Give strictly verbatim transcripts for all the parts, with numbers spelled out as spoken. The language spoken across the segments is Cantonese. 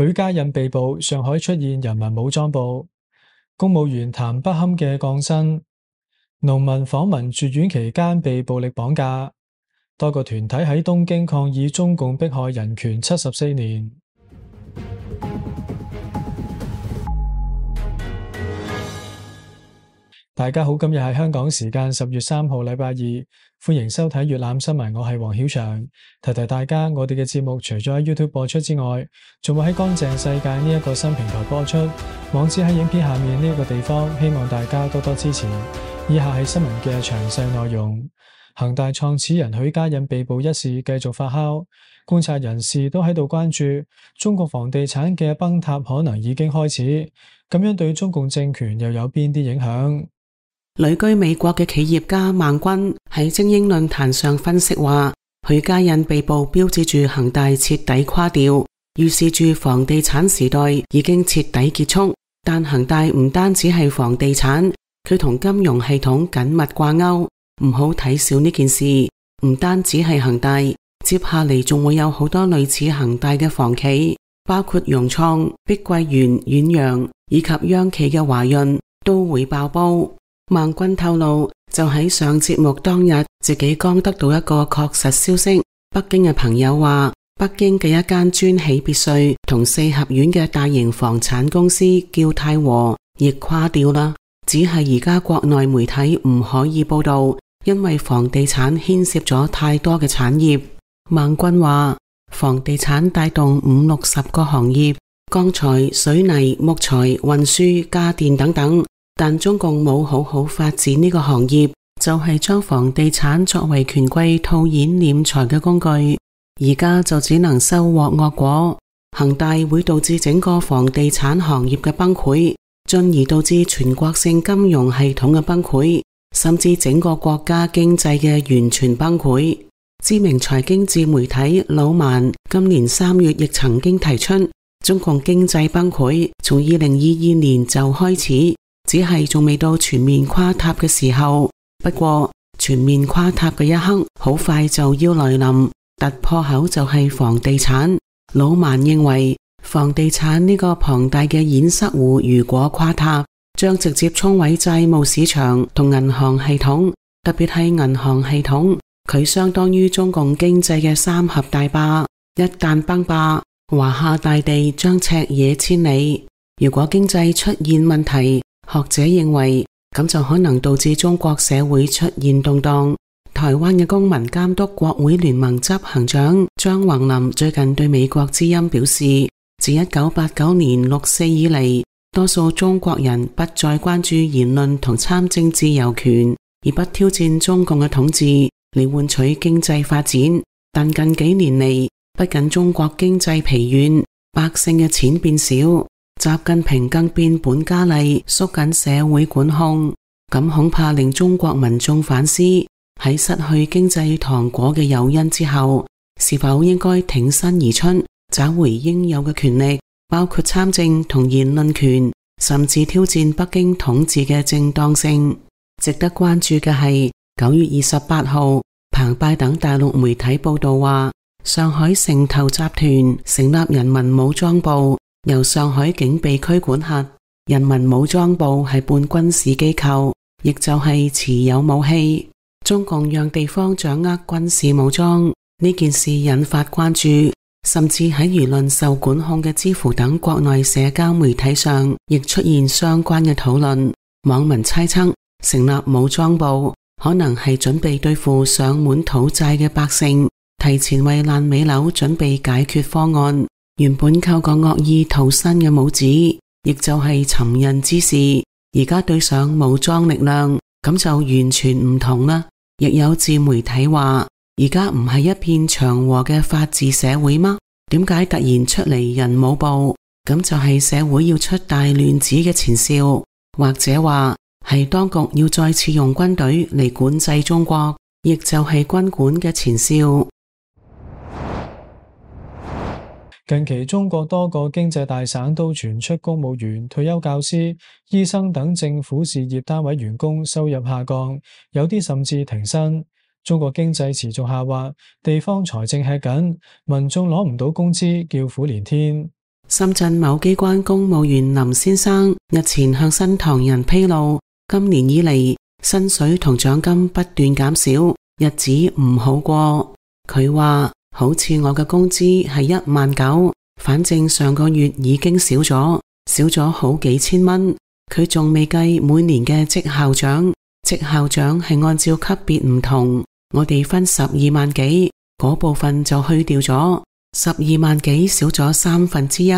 許家印被捕，上海出現人民武裝部，公務員談不堪嘅降薪，農民訪民住院期間被暴力綁架，多個團體喺東京抗議中共迫害人權七十四年。大家好，今日係香港時間十月三號禮拜二，歡迎收睇粵覽新聞，我係黃曉翔。提提大家，我哋嘅節目除咗喺 YouTube 播出之外，仲會喺乾淨世界呢一個新平台播出，網址喺影片下面呢一個地方，希望大家多多支持。以下係新聞嘅詳細內容。恒大創始人許家印被捕一事繼續發酵，觀察人士都喺度關注中國房地產嘅崩塌可能已經開始，咁樣對中共政權又有邊啲影響？旅居美國嘅企業家孟軍喺精英論壇上分析話，許家印被捕標誌住恒大徹底垮掉，預示住房地產時代已經徹底結束。但恒大唔單止係房地產，佢同金融系統緊密掛鈎，唔好睇小呢件事。唔單止係恒大，接下嚟仲會有好多類似恒大嘅房企，包括融創、碧桂園、遠洋以及央企嘅華潤都會爆煲。孟軍透露，就喺上節目當日，自己剛得到一個確實消息。北京嘅朋友話，北京嘅一間專起別墅同四合院嘅大型房產公司叫泰和，亦垮掉啦。只係而家國內媒體唔可以報道，因為房地產牽涉咗太多嘅產業。孟軍話，房地產帶動五六十個行業，鋼材、水泥、木材、運輸、家電等等。但中共冇好好發展呢個行業，就係將房地產作為權貴套現斂財嘅工具，而家就只能收穫惡果。恒大會導致整個房地產行業嘅崩潰，進而導致全國性金融系統嘅崩潰，甚至整個國家經濟嘅完全崩潰。知名財經自媒體老萬今年三月亦曾經提出，中共經濟崩潰從二零二二年就開始，只係仲未到全面垮塌嘅時候。不過全面垮塌嘅一刻好快就要來臨，突破口就係房地產。老萬認為，房地產呢個龐大嘅堰塞湖如果垮塌，將直接沖毀債務市場同銀行系統，特別係銀行系統，佢相當於中共經濟嘅三峽大壩，一旦崩壩，華夏大地將赤野千里。如果經濟出現問題，學者認為咁就可能導致中國社會出現動盪。台灣嘅公民監督國會聯盟執行長張宏林最近對美國之音表示，自一九八九年六四以嚟，多數中國人不再關注言論同參政自由權，而不挑戰中共嘅統治嚟換取經濟發展。但近幾年嚟，不僅中國經濟疲軟，百姓嘅錢變少，習近平更變本加厲縮緊社會管控，咁恐怕令中國民眾反思，喺失去經濟糖果嘅誘因之後，是否應該挺身而出，找回應有嘅權力，包括參政同言論權，甚至挑戰北京統治嘅正當性。值得關注嘅係，九月二十八號，澎湃等大陸媒體報道話，上海城投集團成立人民武裝部，由上海警備區管轄。人民武裝部係半軍事機構，亦就係持有武器。中共讓地方掌握軍事武裝呢件事引發關注，甚至喺輿論受管控嘅知乎等國內社交媒體上，亦出現相關嘅討論。網民猜測，成立武裝部可能係準備對付上門討債嘅百姓，提前為爛尾樓準備解決方案。原本靠個惡意逃生嘅武指，亦就係尋釁之事，而家對上武裝力量，咁就完全唔同啦。亦有自媒體話，而家唔係一片祥和嘅法治社會嗎？點解突然出嚟人武部？咁就係社會要出大亂子嘅前兆，或者話係當局要再次用軍隊嚟管制中國，亦就係軍管嘅前兆。近期中國多個經濟大省都傳出公務員、退休教師、醫生等政府事業單位員工收入下降，有啲甚至停薪。中國經濟持續下滑，地方財政吃緊，民眾攞唔到工資，叫苦連天。深圳某機關公務員林先生日前向新唐人披露，今年以嚟薪水同獎金不斷減少，日子唔好過。佢話好似我嘅工資係一萬九，反正上個月已經少咗，少咗好幾千蚊。佢仲未計每年嘅績效獎，績效獎係按照級別唔同，我哋分十二萬幾，嗰部分就去掉咗，十二萬幾少咗三分之一。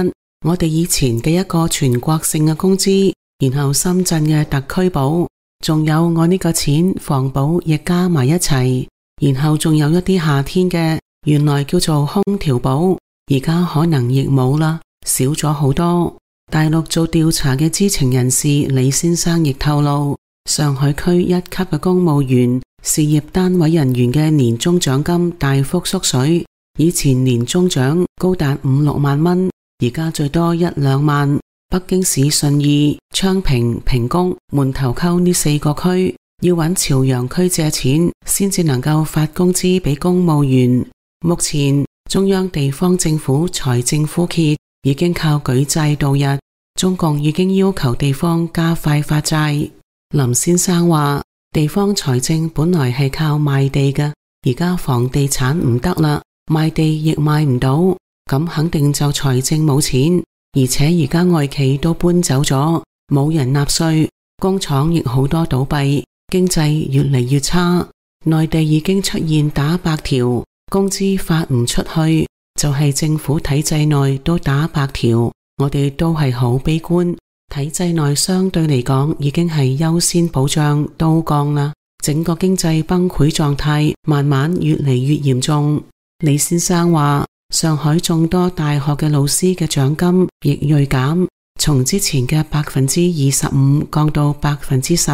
我哋以前嘅一個全國性嘅工資，然後深圳嘅特區保，仲有我呢個錢房保亦加埋一齊，然後仲有一啲夏天嘅，原來叫做空調保，而家可能亦冇啦，少咗好多。大陸做調查嘅知情人士李先生亦透露，上海區一級嘅公務員、事業單位人員嘅年終獎金大幅縮水，以前年終獎高達五六萬蚊，而家最多一兩萬。北京市順義、昌平、平谷、門頭溝呢四個區要揾朝陽區借錢先至能夠發工資俾公務員。目前中央地方政府財政枯竭，已經靠舉債度日，中共已經要求地方加快發債。林先生話，地方財政本來係靠賣地嘅，而家房地產唔得啦，賣地亦賣唔到，咁肯定就財政冇錢，而且而家外企都搬走咗，冇人納稅，工廠亦好多倒閉，經濟越嚟越差。內地已經出現打白條，工資發唔出去，就係政府體制內都打白條，我哋都係好悲觀。體制內相對嚟講已經係優先保障都降啦，整個經濟崩潰狀態慢慢越嚟越嚴重。李先生話，上海眾多大學嘅老師嘅獎金亦銳減，從之前嘅百分之二十五降到百分之十。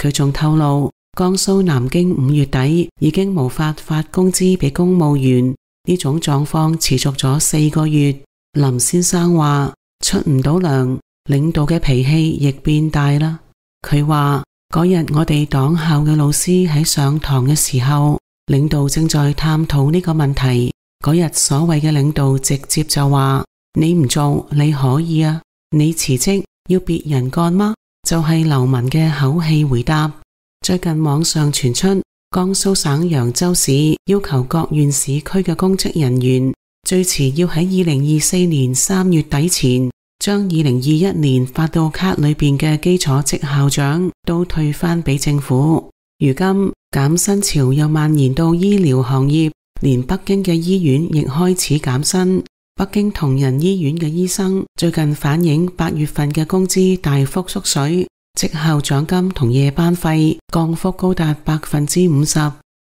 佢仲透露，江蘇南京五月底已經無法發工資俾公務員，呢種狀況持續咗四個月。林先生話，出唔到糧，領導嘅脾氣亦變大啦。佢話嗰日我哋黨校嘅老師喺上堂嘅時候，領導正在探討呢個問題。嗰日所謂嘅領導直接就話，你唔做你可以啊，你辭職要別人幹嗎？就係流氓嘅口氣回答。最近網上傳出江蘇省揚州市要求各縣市區嘅公職人員最遲要喺二零二四年三月底前將二零二一年發到卡裏邊嘅基礎績效獎都退返俾政府。如今減薪潮又蔓延到醫療行業，連北京嘅醫院亦開始減薪。北京同仁醫院嘅醫生最近反映八月份嘅工資大幅縮水，績效獎金同夜班費降幅高達百分之五十。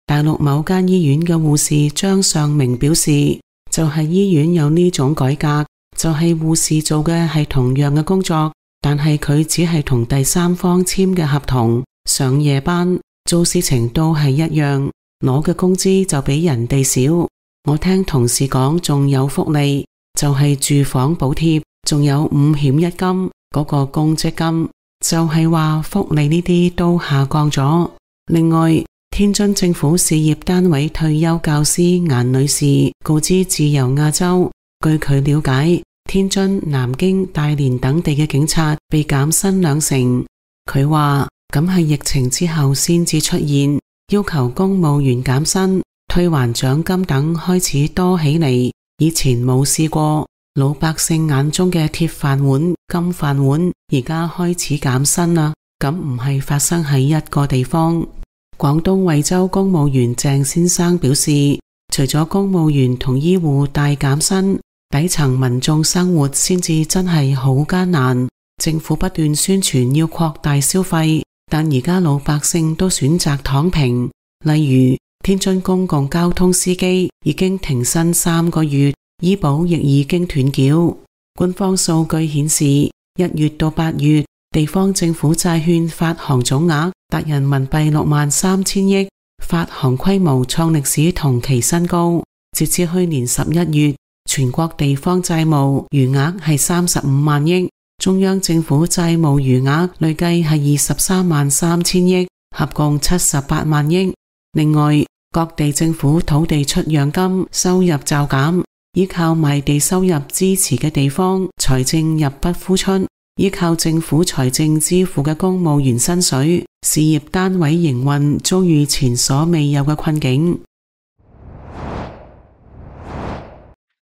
大陸某間醫院嘅護士張尚明表示，就係醫院有呢種改革，就係護士做嘅係同樣嘅工作，但係佢只係同第三方簽嘅合同，上夜班，做事情都係一樣，攞嘅工資就比人哋少。我聽同事講仲有福利，就係住房補貼，仲有五險一金嗰個公積金，就係話福利呢啲都下降咗。另外，天津政府事業單位退休教師顏女士告知自由亞洲，據佢了解，天津、南京、大連等地嘅警察被減薪兩成。佢話咁係疫情之後先至出現，要求公務員減薪、退還獎金等開始多起嚟，以前冇試過。老百姓眼中嘅鐵飯碗、金飯碗，而家開始減薪啦。咁唔係發生喺一個地方。廣東惠州公務員鄭先生表示，除咗公務員同醫護大減薪，底層民眾生活先至真係好艱難。政府不斷宣傳要擴大消費，但而家老百姓都選擇躺平。例如天津公共交通司機已經停薪三個月，醫保亦已經斷繳。官方數據顯示，一月到八月，地方政府債券發行總額達人民幣六萬三千億，發行規模創歷史同期新高。截至去年十一月，全國地方債務餘額係三十五萬億，中央政府債務餘額累計係二十三萬三千億，合共七十八萬億。另外，各地政府土地出讓金收入驟減，依靠賣地收入支持嘅地方財政入不敷出，依靠政府財政支付嘅公務員薪水，事業單位營運遭遇前所未有嘅困境。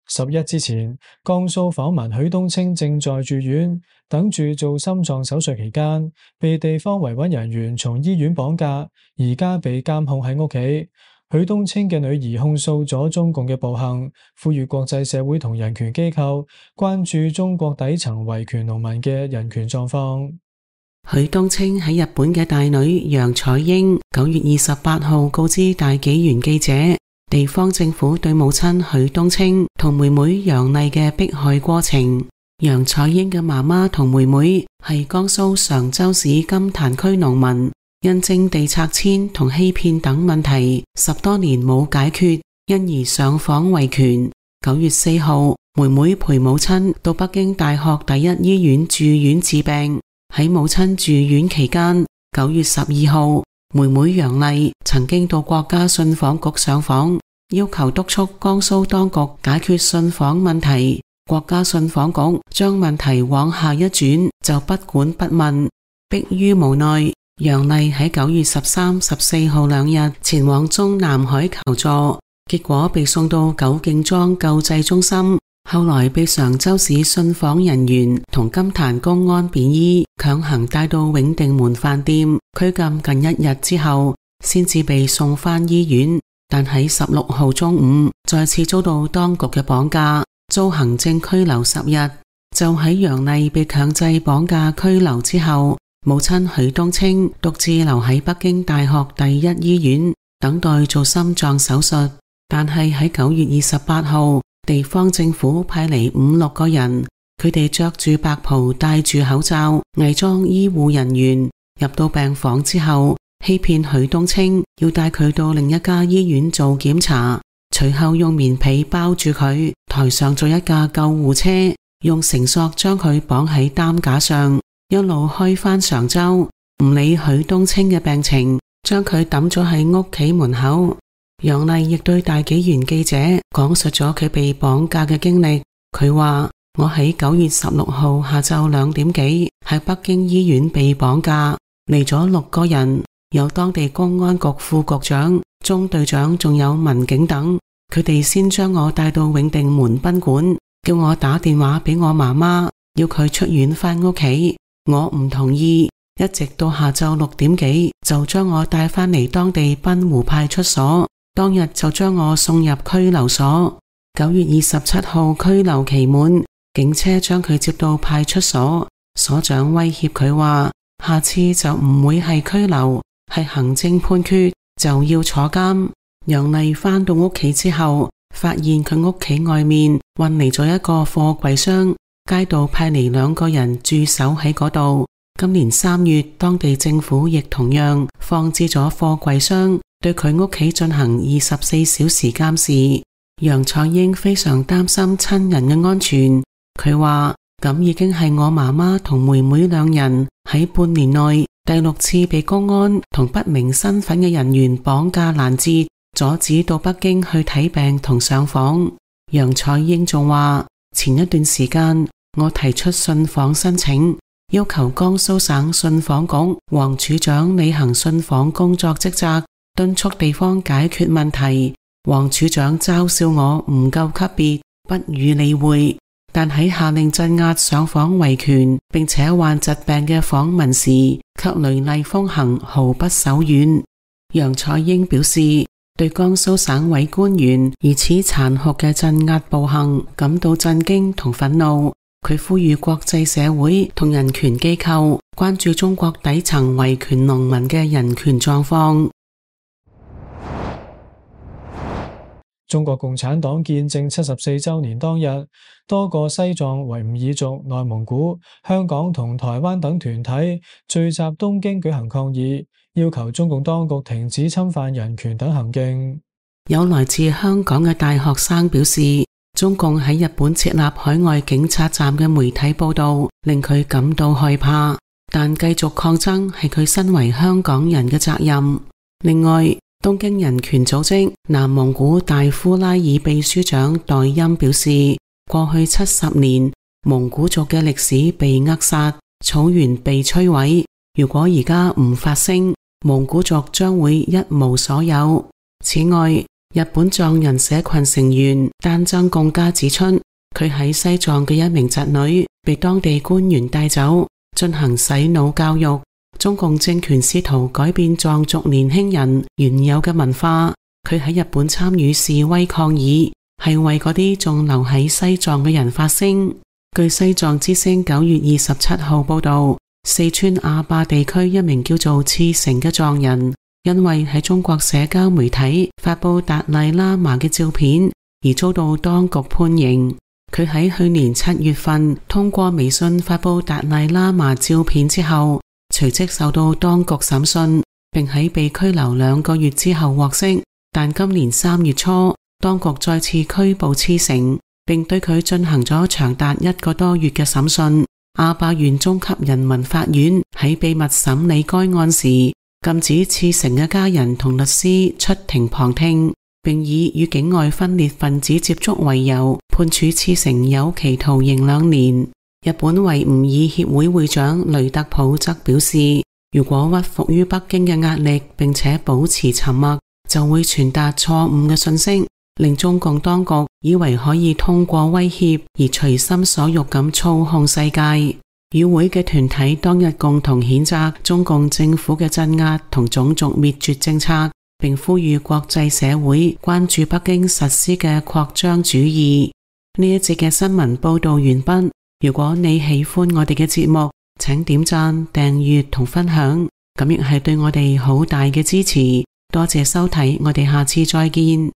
十一之前，江蘇訪民許東青正在住院，等住做心臟手術期間，被地方維穩人員從醫院綁架，而家被監控喺屋企。許東青嘅女兒控訴咗中共嘅暴行，呼籲國際社會同人權機構關注中國底層維權農民嘅人權狀況。許東青喺日本嘅大女楊彩英九月二十八號告知大紀元記者，地方政府對母親許東青同妹妹楊麗嘅迫害過程。楊彩英嘅媽媽同妹妹係江蘇常州市金壇區農民，因徵地拆遷同欺騙等問題，十多年冇解決，因而上訪維權。九月四號，妹妹陪母親到北京大學第一醫院住院治病。喺母親住院期間，九月十二號，妹妹楊麗曾經到國家信訪局上訪，要求督促江蘇當局解決信訪問題。國家信訪局將問題往下一轉，就不管不問。迫於無奈，楊麗喺九月十三、十四號兩日前往中南海求助，結果被送到九敬莊救濟中心，後來被常州市信訪人員同金壇公安便衣強行帶到永定門飯店拘禁近一日之後，先至被送返醫院。但喺十六號中午再次遭到當局嘅綁架，遭行政拘留十日。就喺楊麗被強制綁架拘留之後，母親許東青獨自留喺北京大學第一醫院等待做心臟手術。但係喺九月二十八號，地方政府派嚟五六個人，佢哋着住白袍，戴住口罩，偽裝醫護人員，入到病房之後，欺騙許東青要帶佢到另一家醫院做檢查，隨後用棉被包住佢，抬上咗一架救護車，用繩索將佢綁喺擔架上，一路開返常州，唔理許東青嘅病情，將佢抌咗喺屋企門口。楊麗亦對大紀元記者講述咗佢被綁架嘅經歷。佢話：我喺九月十六號下晝兩點幾喺北京醫院被綁架，嚟咗六個人，有當地公安局副局長、中隊長，仲有民警等。佢哋先將我帶到永定門賓館，叫我打電話俾我媽媽，要佢出院返屋企。我唔同意，一直到下晝六點幾就將我帶返嚟當地濱湖派出所。當日就將我送入拘留所。九月二十七號拘留期滿，警車將佢接到派出所，所長威脅佢話：下次就唔會係拘留，係行政判決，就要坐監。楊麗返到屋企之後，發現佢屋企外面運嚟咗一個貨櫃箱，街道派嚟兩個人駐守喺嗰度。今年三月，當地政府亦同樣放置咗貨櫃箱，對佢屋企進行二十四小時監視。楊彩英非常擔心親人嘅安全，佢話咁已經係我媽媽同妹妹兩人喺半年內第六次被公安同不明身份嘅人員綁架攔截，阻止到北京去睇病同上訪。楊彩英仲話，前一段時間我提出信訪申請，要求江蘇省信訪局黃處長履行信訪工作職責，敦促地方解決問題。黃處長嘲笑我唔夠級別，不予理會。但喺下令鎮壓上訪維權並且患疾病嘅訪民時，卻雷厲風行，毫不手軟。楊彩英表示，對江蘇省委官員如此殘酷嘅鎮壓暴行感到震驚同憤怒。佢呼籲國際社會同人權機構關注中國底層維權農民嘅人權狀況。中國共產黨建政七十四周年當日，多個西藏、維吾爾族、內蒙古、香港同台灣等團體聚集東京舉行抗議，要求中共當局停止侵犯人權等行徑。有來自香港嘅大學生表示，中共喺日本設立海外警察站嘅媒體報道令佢感到害怕，但繼續抗爭係佢身為香港人嘅責任。另外，東京人權組織南蒙古大呼拉爾秘書長代欽表示，過去七十年蒙古族嘅歷史被扼殺，草原被摧毀。如果而家唔發聲，蒙古族將會一無所有。此外，日本藏人社群成員丹增貢加指出，佢喺西藏嘅一名侄女被當地官員帶走進行洗腦教育。中共政權試圖改變藏族年輕人原有嘅文化。佢喺日本參與示威抗議，係為嗰啲仲留喺西藏嘅人發聲。據西藏之聲九月二十七號報道，四川阿壩地區一名叫做次成嘅藏人，因為喺中國社交媒體發布達賴喇嘛嘅照片而遭到當局判刑。佢喺去年七月份通過微信發布達賴喇嘛照片之後，隨即受到當局審訊，並喺被拘留兩個月之後獲釋。但今年三月初，當局再次拘捕次成，並對佢進行咗長達一個多月嘅審訊。阿壩縣中級人民法院喺秘密審理該案時，禁止次成嘅家人同律師出庭旁聽，並以與境外分裂分子接觸為由，判處次成有期徒刑兩年。日本維吾爾協會會長雷特普則表示，如果屈服於北京嘅壓力並且保持沉默，就會傳達錯誤嘅信息，令中共當局以為可以通過威脅而隨心所欲咁操控世界。與會嘅團體當日共同譴責中共政府嘅鎮壓同種族滅絕政策，並呼籲國際社會關注北京實施嘅擴張主義。呢一節嘅新聞報道完畢。如果你喜歡我哋嘅節目，請點讚、訂閱同分享，咁亦係對我哋好大嘅支持。多謝收睇，我哋下次再見。